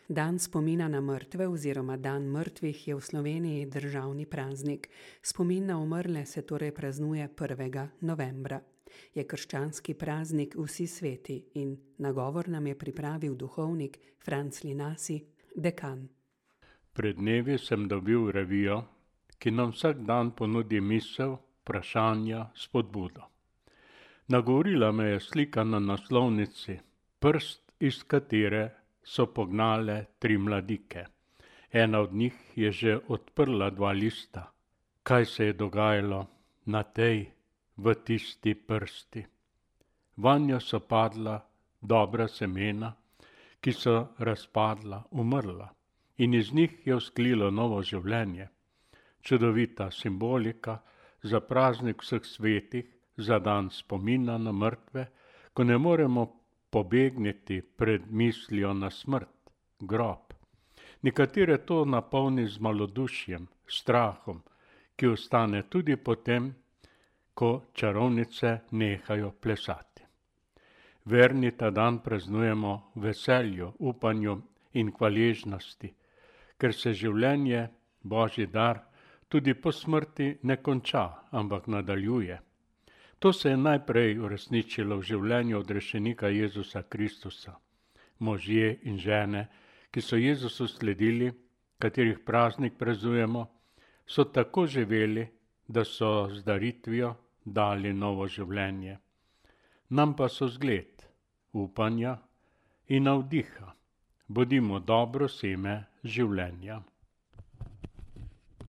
Dan spomina na mrtve oziroma dan mrtvih je v Sloveniji državni praznik. Spomin na umrle se torej praznuje 1. novembra. Je krščanski praznik vsi sveti in nagovor nam je pripravil duhovnik Franc Linasi, dekan. Pred dnevi sem dobil revijo, ki nam vsak dan ponudi misel, vprašanja, spodbudo. Nagovorila me je slika na naslovnici, prst iz katere so pognale 3 mladike. Ena od njih je že odprla 2 lista. Kaj se je dogajalo na tej, v tisti prsti? Vanjo so padla dobra semena, ki so razpadla, umrla, in iz njih je vzklilo novo življenje. Čudovita simbolika za praznik vseh svetih, za dan spomina na mrtve, ko ne moremo pobegniti pred mislijo na smrt, grob. Nekatere to napolni z malodušjem, strahom, ki ostane tudi potem, ko čarovnice nehajo plesati. Verni ta dan praznujemo v veselju, upanju in hvaležnosti, ker se življenje, Božji dar, tudi po smrti ne konča, ampak nadaljuje. To se je najprej uresničilo v življenju odrešenika Jezusa Kristusa. Možje in žene, ki so Jezusu sledili, katerih praznik praznujemo, so tako živeli, da so z daritvijo dali novo življenje. Nam pa so zgled upanja in navdiha. Bodimo dobro seme življenja.